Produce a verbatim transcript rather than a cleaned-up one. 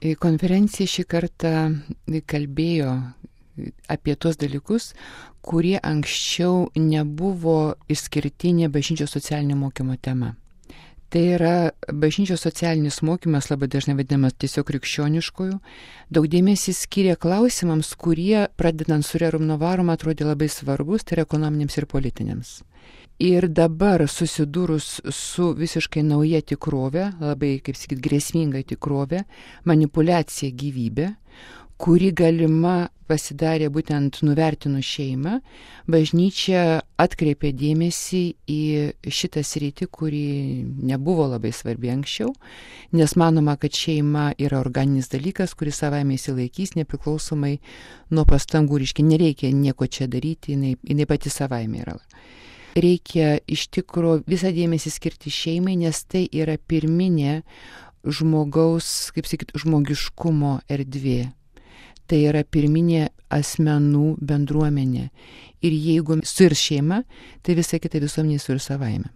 Konferencija šį kartą kalbėjo apie tuos dalykus, kurie anksčiau nebuvo išskirtinė bažnyčios socialinio mokymo tema. Tai yra bažnyčios socialinis mokymas, labai dažnai vadinamas tiesiog krikščioniškojų, daug dėmesį skiria klausimams, kurie, pradedant su Rerum Novarum, atrodė labai svarbus, tai yra ekonominiams ir politiniams. Ir dabar susidūrus su visiškai nauja tikrove, labai, kaip sakyt, grėsminga tikrove, manipuliacija gyvybė, kuri galima pasidarė būtent nuvertinus šeimą, bažnyčia atkreipė dėmesį į šitą sritį, kuri nebuvo labai svarbi anksčiau, nes manoma, kad šeima yra organinis dalykas, kuris savaime įsilaikys nepriklausomai nuo pastangų, reiškia, nereikia nieko čia daryti, jinai, jinai pati savaime yra. Reikia iš tikro visą dėmesį skirti šeimai, nes tai yra pirminė žmogaus, kaip sakyt, žmogiškumo erdvė. Tai yra pirminė asmenų bendruomenė. Ir jeigu suirs šeima, tai visa kita visuomenė suirs savaime.